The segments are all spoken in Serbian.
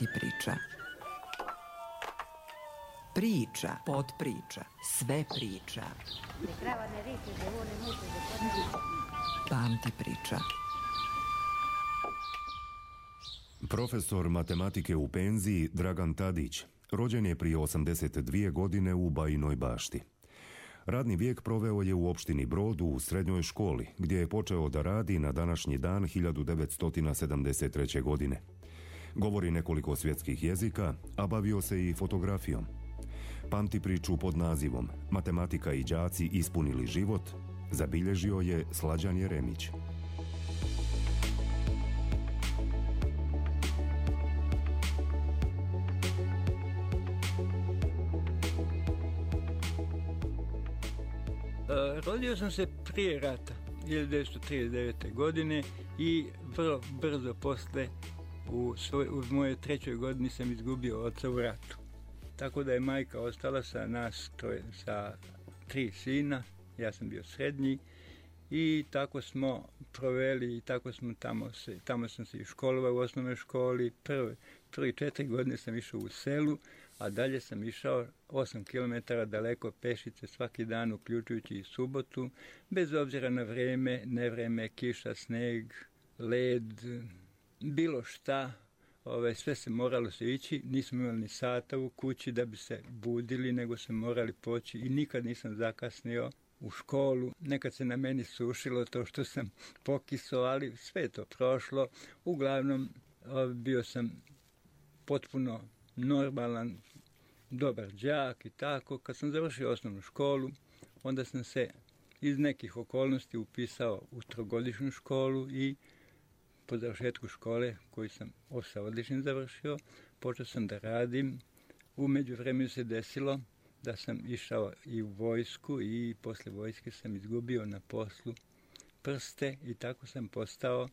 Pamti priča. Priča, podpriča, sve priča. Pamti priča. Profesor matematike u penziji Dragan Tadić rođen je prije 82 godine u Bajinoj Bašti. Radni vijek proveo je u opštini Brod u srednjoj školi, gdje je počeo da radi na današnji dan 1973. godine. Govori nekoliko svjetskih jezika, a bavio se i fotografijom. Pamti priču pod nazivom Matematika i đaci ispunili život zabilježio je Slađan Jeremić. Rodio sam se prije rata, 1939. godine i vrlo brzo posle u mojoj 3. godini sam izgubio oca u ratu. Tako da je majka ostala sa nas, sa 3 sina, ja sam bio srednji i tako smo proveli i tako smo tamo sam se i školovao u osnovnoj školi. Prvi 4 godine sam išao u selu, a dalje sam išao 8 km daleko pešice svaki dan, uključujući i subotu, bez obzira na vreme, nevreme, kiša, sneg, led, bilo šta. Sve se moralo se ići, nismo imali ni sata u kući da bi se budili, nego se morali poći i nikad nisam zakasnio u školu. Nekad se na meni sušilo to što sam pokisao, ali sve je to prošlo. Uglavnom, bio sam potpuno normalan, dobar đak i tako. Kad sam završio osnovnu školu, onda sam se iz nekih okolnosti upisao u 3-godišnju školu i po završetku škole, koju sam sa odličnim završio, počeo sam da radim. U međuvremenu se desilo da sam išao i u vojsku i posle vojske sam izgubio na poslu prste i tako sam postao,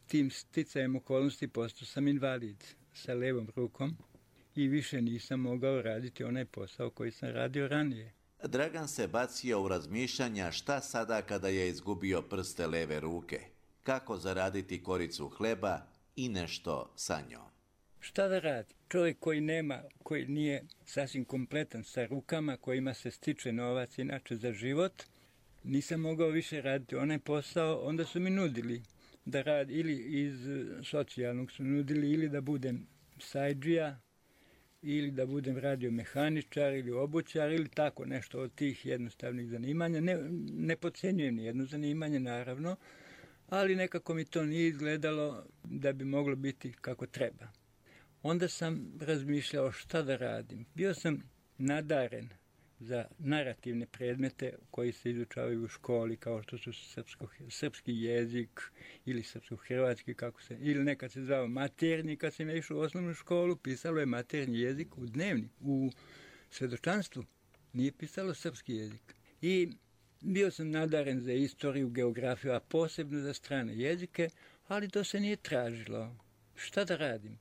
tim sticajem okolnosti postao sam invalid sa levom rukom i više nisam mogao raditi onaj posao koji sam radio ranije. Dragan se bacio u razmišljanja šta sada kada je izgubio prste leve ruke, kako zaraditi koricu hleba i nešto sa njom. Šta da radi? Čovjek koji nije sasvim kompletan sa rukama, kojima se stiče novac inače za život, nisam mogao više raditi onaj posao, onda su mi nudili da radim, ili iz socijalnog su nudili, ili da budem sajdžija, ili da budem radiomehaničar ili obućar, ili tako nešto od tih jednostavnih zanimanja. Ne podcenjujem ni jedno zanimanje, naravno, ali nekako mi to nije izgledalo da bi moglo biti kako treba. Onda sam razmišljao šta da radim. Bio sam nadaren za narativne predmete koji se izučavaju u školi, kao što su srpski jezik ili srpsko-hrvatski, ili nekad se zvao maternji. Kad sam išao u osnovnu školu, pisalo je maternji jezik u dnevnik, u svedočanstvu. Nije pisalo srpski jezik. I bio sam nadaren za istoriju, geografiju, a posebno za strane jezike, ali to se nije tražilo. Šta da radim?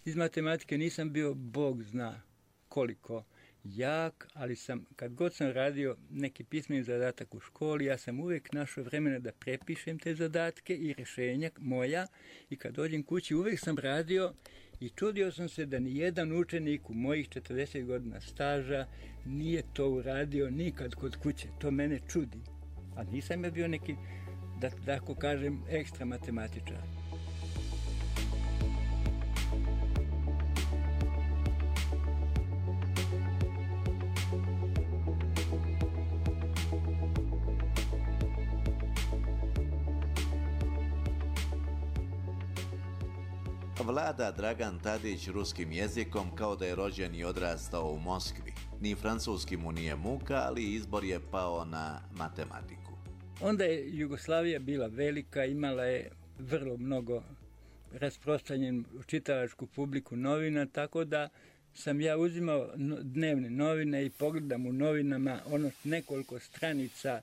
Iz matematike nisam bio, Bog zna koliko jak, ali kad god sam radio neki pismeni zadatak u školi, ja sam uvijek našao vremena da prepišem te zadatke i rješenja moja i kad dođem kući uvijek sam radio i čudio sam se da ni jedan učenik u mojih 40 godina staža nije to uradio nikad kod kuće. To mene čudi. A nisam ja bio neki, da tako kažem, ekstra matematičar. Vlada Dragan Tadić ruskim jezikom kao da je rođen i odrastao u Moskvi. Ni francuski mu nije muka, ali izbor je pao na matematiku. Onda je Jugoslavija bila velika, imala je vrlo mnogo rasprostranjenu čitalačku publiku novina, tako da sam ja uzimao dnevne novine i pogledam u novinama nekoliko stranica,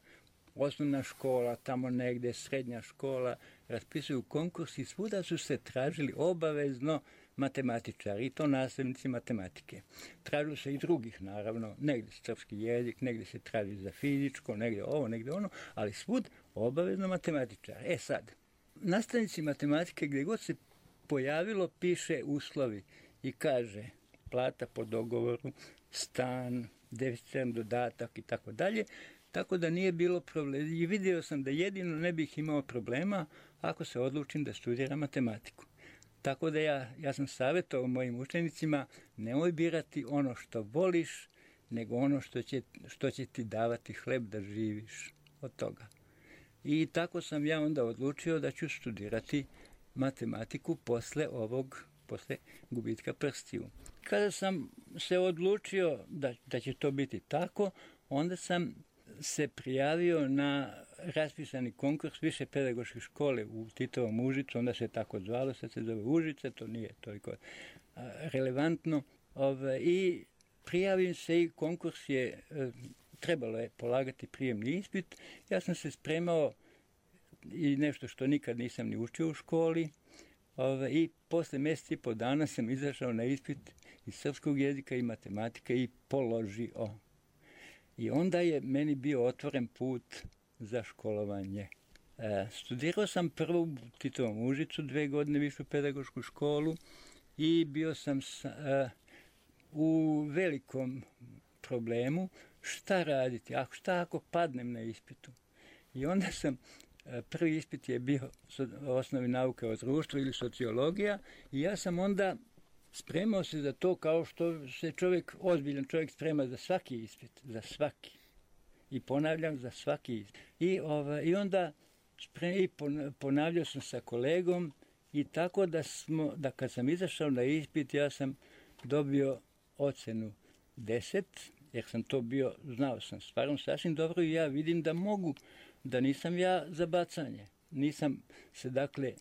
osnovna škola, tamo negde srednja škola, raspisuju konkurs i svuda su se tražili obavezno matematičari, i to nastavnici matematike. Tražilo se i drugih, naravno, negde srpski jezik, negde se traži za fizičko, negde ovo, negde ono, ali svud obavezno matematičar. Sad, nastavnici matematike, gde god se pojavilo, piše uslovi. i kaže plata po dogovoru, stan, deficitan dodatak i tako dalje, tako da nije bilo problema. I vidio sam da jedino ne bih imao problema ako se odlučim da studiram matematiku. Tako da ja sam savjetovao mojim učenicima, nemoj birati ono što voliš, nego ono što će ti davati hleb da živiš od toga. I tako sam ja onda odlučio da ću studirati matematiku posle gubitka prstiju. Kada sam se odlučio da će to biti tako, onda sam se prijavio na raspisani konkurs više pedagoške škole u Titovom Užicu, onda se tako zvalo, sad se zove Užice, to nije toliko relevantno. I prijavim se i konkurs je, trebalo je polagati prijemni ispit. Ja sam se spremao i nešto što nikad nisam ni učio u školi. I posle mjesec i po dana sam izašao na ispit iz srpskog jezika i matematike i položio. I onda je meni bio otvoren put za školovanje. Studirao sam prvo u Titovom Užicu 2 godine višu pedagošku školu i bio sam u velikom problemu šta raditi, šta ako padnem na ispitu. I onda sam, prvi ispit je bio osnovi nauke o društvu ili sociologija i ja sam onda spremao se za to kao što se ozbiljan čovjek sprema za svaki ispit, za svaki. I ponavljam, za svaki ispit. I onda ponavljao sam sa kolegom i tako da kad sam izašao na ispit, ja sam dobio ocenu 10, jer sam to bio, znao sam stvarno sasvim dobro i ja vidim da mogu, da nisam ja za bacanje. Nisam se, dakle,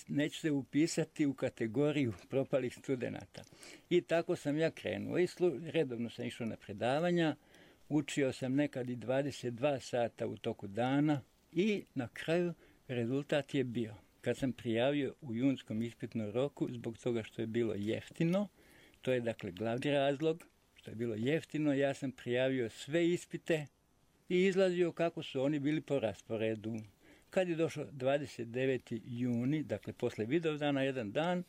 neću se upisati u kategoriju propalih studenata. I tako sam ja krenuo. I redovno sam išao na predavanja, učio sam nekad i 22 sata u toku dana i na kraju rezultat je bio. Kad sam prijavio u junskom ispitnom roku, zbog toga što je bilo jeftino, to je dakle glavni razlog, što je bilo jeftino, ja sam prijavio sve ispite i izlazio kako su oni bili po rasporedu. Kad je došao 29. juni, dakle posle Vidovdana, jedan dan,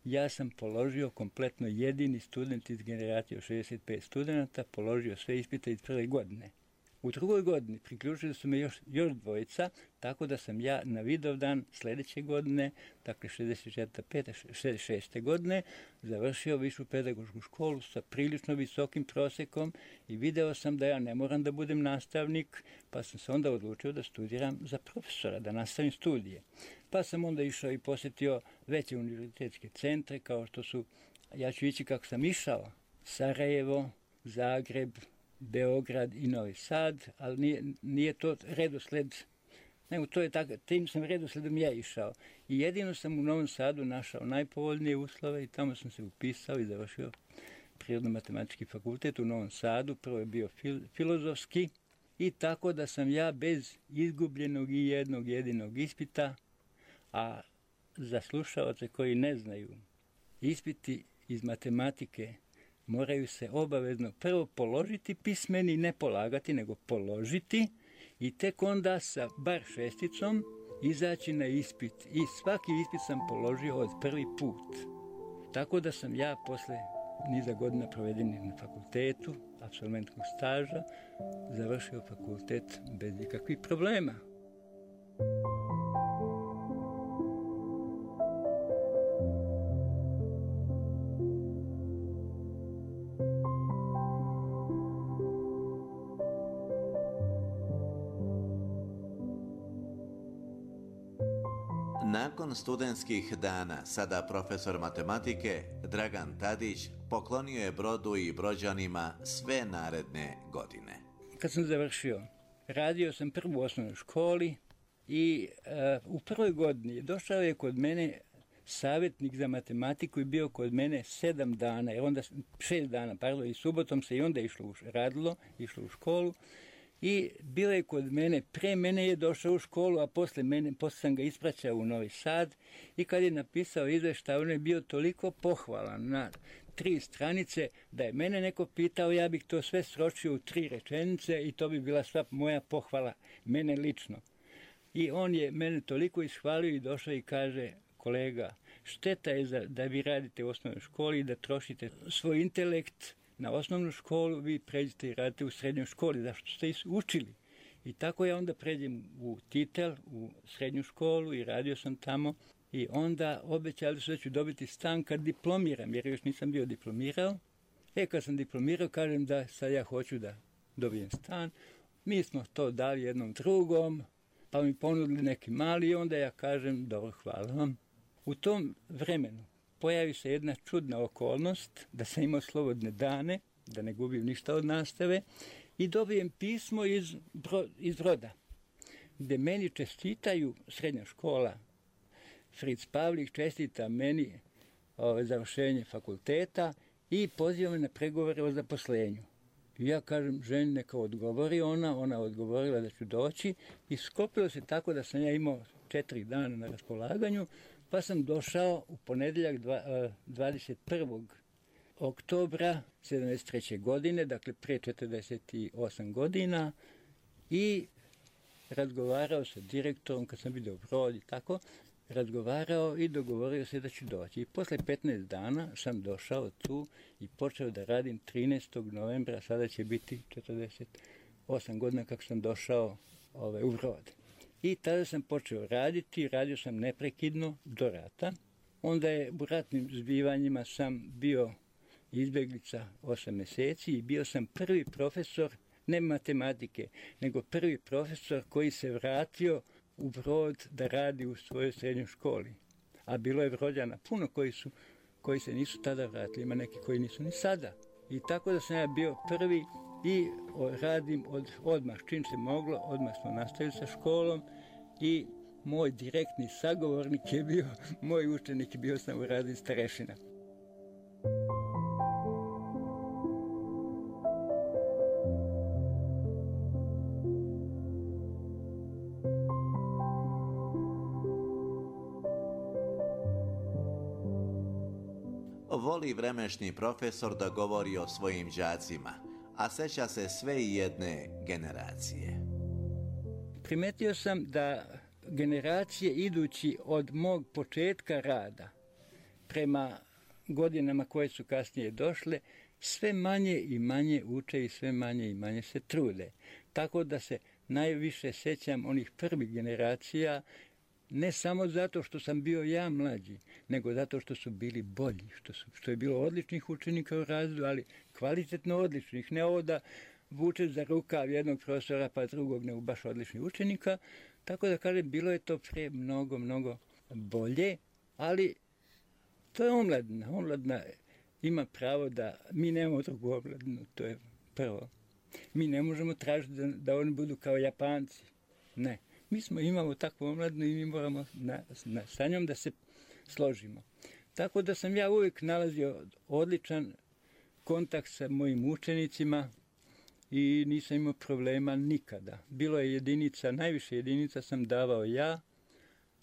ja sam položio kompletno jedini student iz generacije od 65 studenta, položio sve ispite iz prve godine. U drugoj godini priključili su me još dvojica, tako da sam ja na Vidovdan sljedeće godine, dakle 66. godine, završio višu pedagošku školu sa prilično visokim prosjekom i video sam da ja ne moram da budem nastavnik, pa sam se onda odlučio da studiram za profesora, da nastavim studije. Pa sam onda išao i posjetio veće univerzitetske centre, kao što su, ja ću ići kako sam išao, Sarajevo, Zagreb, Beograd i Novi Sad, ali nije to redosled, nego to je tako, tim sam redosledom ja išao. I jedino sam u Novom Sadu našao najpovoljnije uslove i tamo sam se upisao i završio Prirodno-matematički fakultet u Novom Sadu. Prvo je bio filozofski i tako da sam ja bez izgubljenog i jednog jedinog ispita, a za slušaoce koji ne znaju, ispiti iz matematike moraju se obavezno prvo položiti pismeni, ne polagati, nego položiti i tek onda sa bar 6 izaći na ispit. I svaki ispit sam položio od prvi put. Tako da sam ja posle niza godina provedenih na fakultetu, apsolventskog staža, završio fakultet bez ikakvih problema. Nakon studentskih dana, sada profesor matematike Dragan Tadić poklonio je Brodu i Brođanima sve naredne godine. Kad sam završio, radio sam prvu u osnovnoj školi i u prvoj godini došao je kod mene savjetnik za matematiku i bio kod mene 7 dana, onda 6 dana, i subotom se i onda išlo u školu. I bio je kod mene, pre mene je došao u školu, a posle sam ga ispraćao u Novi Sad i kad je napisao izveštaj, on je bio toliko pohvalan na 3 stranice da je mene neko pitao, ja bih to sve sročio u 3 rečenice i to bi bila sva moja pohvala, mene lično. I on je mene toliko ishvalio i došao i kaže, kolega, šteta je da vi radite u osnovnoj školi i da trošite svoj intelekt na osnovnu školu, vi pređete i radite u srednjoj školi, zašto ste učili. I tako ja onda pređem u Titel, u srednju školu i radio sam tamo. I onda obećali su da ću dobiti stan kad diplomiram, jer još nisam bio diplomirao. Kad sam diplomirao, kažem da sad ja hoću da dobijem stan. Mi smo to dali jednom drugom, pa mi ponudili neki mali i onda ja kažem, dobro, hvala vam. U tom vremenu pojavi se jedna čudna okolnost, da sam imao slobodne dane, da ne gubim ništa od nastave, i dobijem pismo iz Broda, gde meni čestitaju srednja škola. Fritz Pavlik čestita meni završenje fakulteta i poziva me na pregovore o zaposlenju. I ja kažem, ženi neka odgovori, ona odgovorila da ću doći i sklopilo se tako da sam ja imao 4 dana na raspolaganju, pa sam došao u ponedeljak 21. oktobra 1973. godine, dakle pre 48 godina, i razgovarao sa direktorom kad sam vidio Brod i tako, razgovarao i dogovorio se da ću doći. I posle 15 dana sam došao tu i počeo da radim 13. novembra, sada će biti 48 godina kako sam došao u Brod. I tada sam počeo raditi, radio sam neprekidno do rata. Onda je u ratnim zbivanjima sam bio izbjeglica 8 meseci i bio sam prvi profesor, ne matematike, nego prvi profesor koji se vratio u Brod da radi u svojoj srednjoj školi. A bilo je Brođana puno koji se nisu tada vratili, ima neki koji nisu ni sada. I tako da sam ja bio prvi i radim odmah, čim se moglo, odmah smo nastavili sa školom i moj direktni sagovornik je bio, moj učenik, bio sam u radi starešina. Voli vremešni profesor da govori o svojim đacima, a seća se sve i jedne generacije. Primetio sam da generacije idući od mog početka rada prema godinama koje su kasnije došle, sve manje i manje uče i sve manje i manje se trude. Tako da se najviše sećam onih prvih generacija, ne samo zato što sam bio ja mlađi, nego zato što su bili bolji, što je bilo odličnih učenika u razredu, ali kvalitetno odličnih, ne ovo da vuče za rukav jednog profesora pa drugog, nego baš odličnih učenika. Tako da kažem, bilo je to pre mnogo bolje, ali to je omladina. Omladina ima pravo da mi nemamo drugu omladinu, to je prvo. Mi ne možemo tražiti da oni budu kao Japanci, ne. Mi imamo takvu omladinu i mi moramo sa njom da se složimo. Tako da sam ja uvijek nalazio odličan kontakt sa mojim učenicima i nisam imao problema nikada. Bilo je jedinica, najviše jedinica sam davao ja,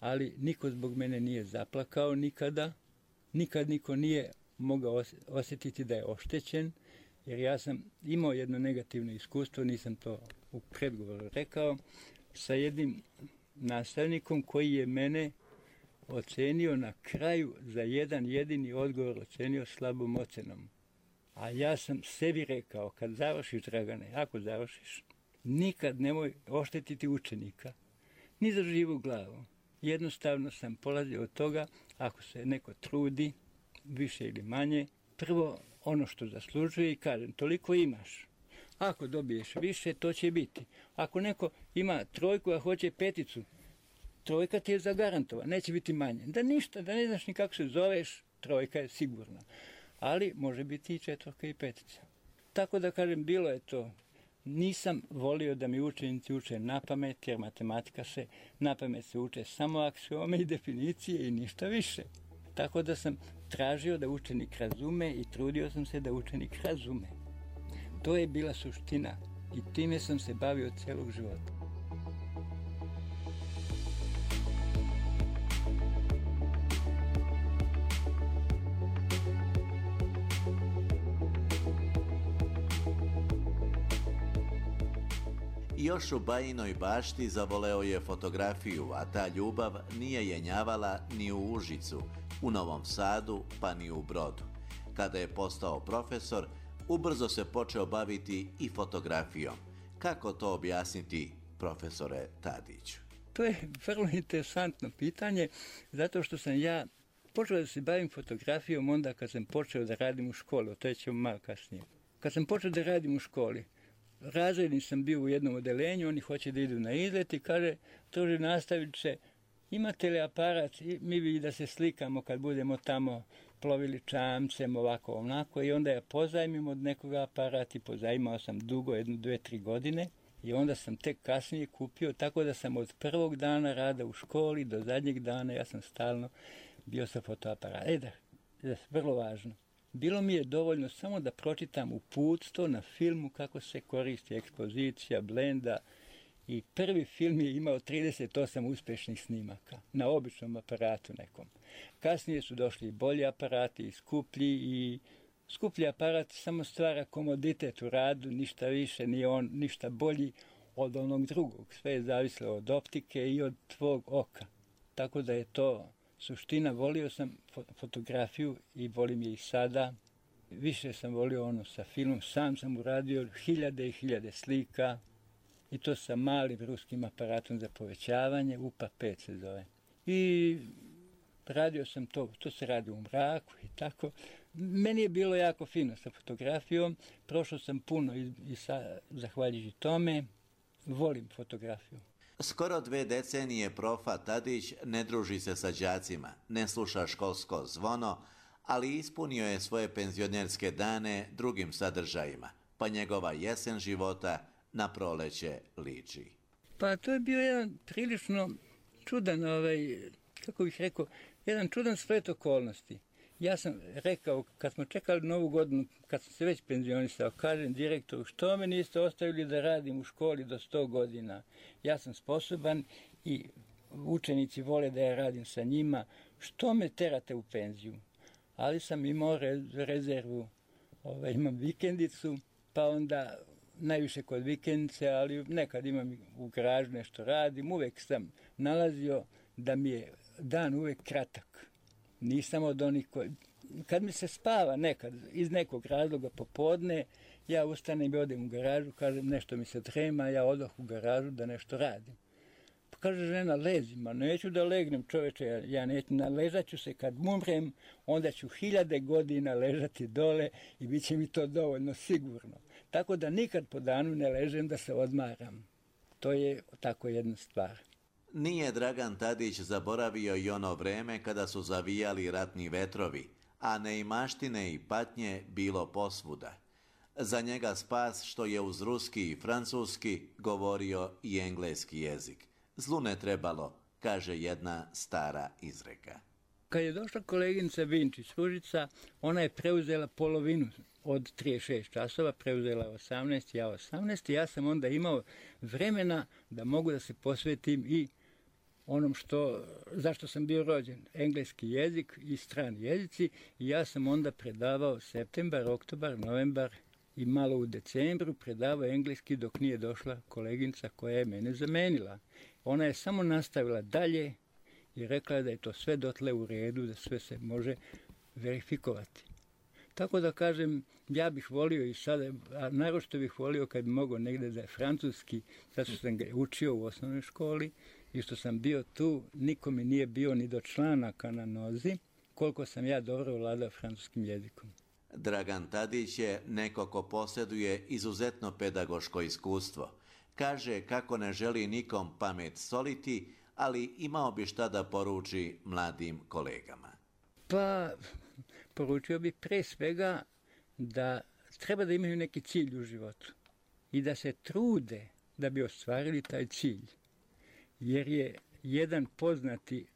ali niko zbog mene nije zaplakao nikada. Nikad niko nije mogao osjetiti da je oštećen, jer ja sam imao jedno negativno iskustvo, nisam to u predgovoru rekao, sa jednim nastavnikom koji je mene ocenio na kraju za jedan jedini odgovor, ocenio slabom ocenom. A ja sam sebi rekao, kad završiš, Dragane, ako završiš, nikad nemoj oštetiti učenika, ni za živu glavu. Jednostavno sam polazio od toga, ako se neko trudi, više ili manje, prvo ono što zaslužuje i kažem, toliko imaš. Ako dobiješ više, to će biti. Ako neko ima 3, a hoće 5, 3 ti je zagarantovana, neće biti manje. Da ništa, da ne znaš ni kako se zoveš, 3 je sigurna. Ali može biti i 4 i 5. Tako da kažem, bilo je to. Nisam volio da mi učenici uče na pamet, jer matematika na pamet se uče samo aksiome i definicije i ništa više. Tako da sam tražio da učenik razume i trudio sam se da učenik razume. To je bila suština i time sam se bavio celog života. Još u Bajinoj Bašti zavoleo je fotografiju, a ta ljubav nije jenjavala ni u Užicu, u Novom Sadu, pa ni u Brodu. Kada je postao profesor, ubrzo se počeo baviti i fotografijom. Kako to objasniti, profesore Tadiću? To je vrlo interesantno pitanje, zato što sam ja počeo da se bavim fotografijom onda kad sam počeo da radim u školi, o to ćemo malo kasnije. Kad sam počeo da radim u školi, razredni sam bio u jednom odelenju, oni hoće da idu na izlet i kaže, druži nastavniče, imate li aparat, mi bi da se slikamo kad budemo tamo plovili čamcem, ovako, onako, i onda ja pozajmim od nekoga aparat i pozajmao sam dugo, 1, 2, 3 godine, i onda sam tek kasnije kupio, tako da sam od prvog dana rada u školi do zadnjeg dana, ja sam stalno bio sa fotoaparatom. Vrlo važno. Bilo mi je dovoljno samo da pročitam uputstvo na filmu kako se koristi ekspozicija, blenda, i prvi film je imao 38 uspješnih snimaka na običnom aparatu nekom. Kasnije su došli i bolji aparati i skuplji aparat samo stvara komoditet u radu, ništa više, nije on ništa bolji od onog drugog. Sve je zavisilo od optike i od tvog oka. Tako da je to suština. Volio sam fotografiju i volim je i sada. Više sam volio ono sa filmom. Sam sam uradio hiljade i hiljade slika i to sa malim ruskim aparatom za povećavanje, UPA-5 se zove. I radio sam to se radi u mraku i tako. Meni je bilo jako fino sa fotografijom, prošao sam puno i zahvaljujući tome volim fotografiju. Skoro 2 decenije profa Tadić ne druži se sa đacima, ne sluša školsko zvono, ali ispunio je svoje penzionerske dane drugim sadržajima, pa njegova jesen života na proleće liči. Pa to je bio jedan prilično čudan, kako bih rekao, jedan čudan splet okolnosti. Ja sam rekao, kad smo čekali Novu godinu, kad sam se već penzionisao, kažem direktoru, što me niste ostavili da radim u školi do 100 godina? Ja sam sposoban i učenici vole da ja radim sa njima, što me terate u penziju? Ali sam imao rezervu, imam vikendicu, pa onda najviše kod vikendice, ali nekad imam u garažu nešto radim, uvek sam nalazio da mi je dan uvek kratak. Nisam od onih koji... Kad mi se spava nekad, iz nekog razloga popodne, ja ustanem i odem u garažu, kažem nešto mi se trema, ja odoh u garažu da nešto radim. Pa kaže žena, lezi, ma neću da legnem čoveče, ja neću, naležat ću se kad umrem, onda ću 1000 godina ležati dole i bit će mi to dovoljno sigurno. Tako da nikad po danu ne ležem da se odmaram. To je tako jedna stvar. Nije Dragan Tadić zaboravio i ono vreme kada su zavijali ratni vetrovi, a neimaštine i patnje bilo posvuda. Za njega spas što je uz ruski i francuski govorio i engleski jezik. Zlu ne trebalo, kaže jedna stara izreka. Kad je došla koleginica Vinčić Ružica, ona je preuzela polovinu od 36 časova, preuzela 18, ja 18, i ja sam onda imao vremena da mogu da se posvetim i onom zašto sam bio rođen, engleski jezik i strani jezici, i ja sam onda predavao septembar, oktobar, novembar i malo u decembru predavao engleski dok nije došla koleginica koja je mene zamenila. Ona je samo nastavila dalje i rekla da je to sve dotle u redu, da sve se može verifikovati. Tako da kažem, ja bih volio i sada, a naročito bih volio kad bi mogao negde da je francuski, zato što sam ga učio u osnovnoj školi i što sam bio tu, niko mi nije bio ni do članaka na nozi, koliko sam ja dobro vladao francuskim jezikom. Dragan Tadić je neko ko posjeduje izuzetno pedagoško iskustvo. Kaže kako ne želi nikom pamet soliti, ali imao bi šta da poruči mladim kolegama. Pa, poručio bih pre svega da treba da imaju neki cilj u životu i da se trude da bi ostvarili taj cilj. Jer je jedan poznati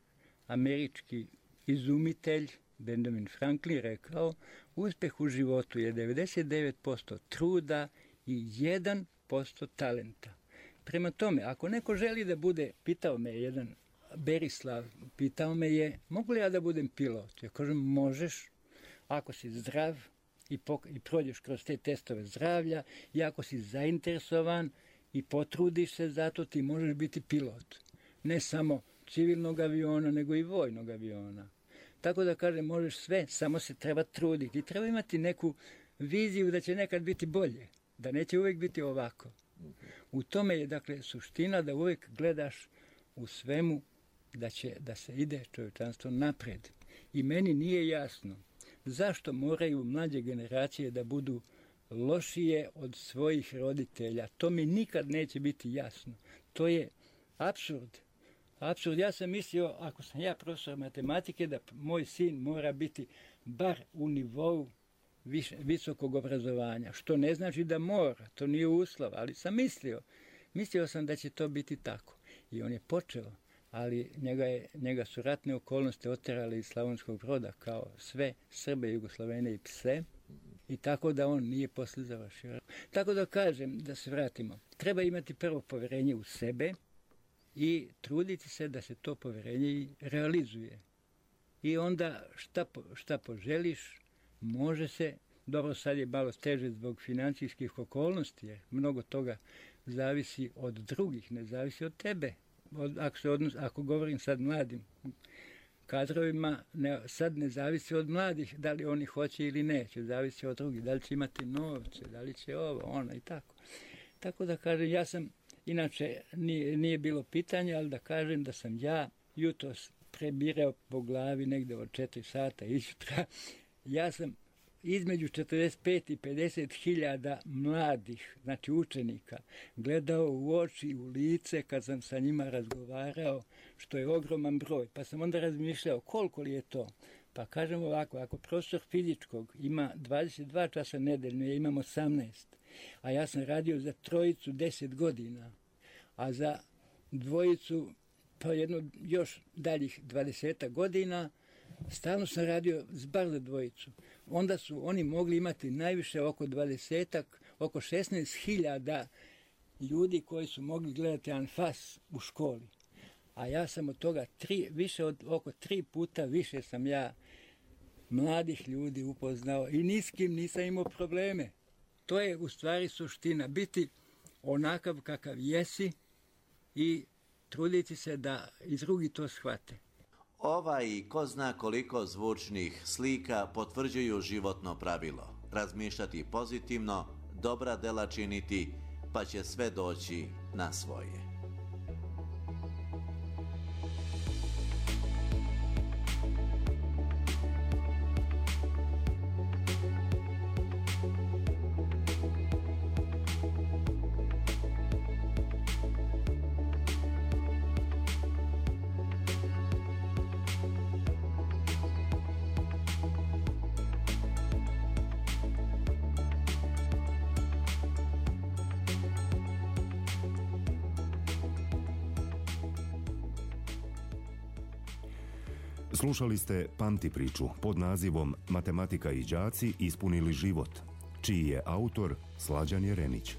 američki izumitelj, Benjamin Franklin, rekao, uspeh u životu je 99% truda i 1% talenta. Prema tome, ako neko želi da bude, pitao me jedan Berislav, pitao me je, mogu li ja da budem pilot? Ja kažem, možeš, ako si zdrav i prođeš kroz te testove zdravlja, i ako si zainteresovan i potrudiš se, zato ti možeš biti pilot. Ne samo civilnog aviona, nego i vojnog aviona. Tako da kažem, možeš sve, samo se treba truditi. I treba imati neku viziju da će nekad biti bolje, da neće uvijek biti ovako. U tome je, dakle, suština da uvijek gledaš u svemu da se ide čovječanstvo napred. I meni nije jasno zašto moraju mlađe generacije da budu lošije od svojih roditelja. To mi nikad neće biti jasno. To je apsurd. Apsurd. Ja sam mislio, ako sam ja profesor matematike, da moj sin mora biti bar u nivou visokog obrazovanja. Što ne znači da mora, to nije uslov, ali sam mislio. Mislio sam da će to biti tako. I on je počeo, ali njega su ratne okolnosti oterali iz Slavonskog Broda, kao sve Srbe, Jugoslavene i pse. I tako da on nije poslije završio. Tako da kažem, da se vratimo, treba imati prvo povjerenje u sebe i truditi se da se to povjerenje i realizuje. I onda šta poželiš, može se, dobro sad je malo teže zbog financijskih okolnosti, jer mnogo toga zavisi od drugih, ne zavisi od tebe. Ako govorim sad mladim kadrovima, sad ne zavisi od mladih da li oni hoće ili neće, zavisi od drugih, da li će imati novce, da li će ovo, ono i tako. Tako da kažem, ja sam, inače nije bilo pitanja, ali da kažem da sam ja jutros prebirao po glavi negdje od 4 sata isjutra. Ja sam između 45 i 50 hiljada mladih, znači učenika, gledao u oči, u lice kad sam sa njima razgovarao, što je ogroman broj. Pa sam onda razmišljao koliko li je to. Pa kažem ovako, ako profesor fizičkog ima 22 časa nedeljno, ja imam 18, a ja sam radio za trojicu 10 godina, a za dvojicu pa jedno još daljih 20 godina, stalno sam radio bar za dvojicu. Onda su oni mogli imati najviše oko 20-ak, oko 16.000 ljudi koji su mogli gledati anfas u školi. A ja sam od toga oko 3 puta više sam ja mladih ljudi upoznao i ni s kim nisam imao probleme. To je u stvari suština, biti onakav kakav jesi i truditi se da i drugi to shvate. Ova i ko zna koliko zvučnih slika potvrđuju životno pravilo. Razmišljati pozitivno, dobra dela činiti, pa će sve doći na svoje. Slušali ste Pamti priču pod nazivom Matematika i đaci ispunili život, čiji je autor Slađan Jerenić.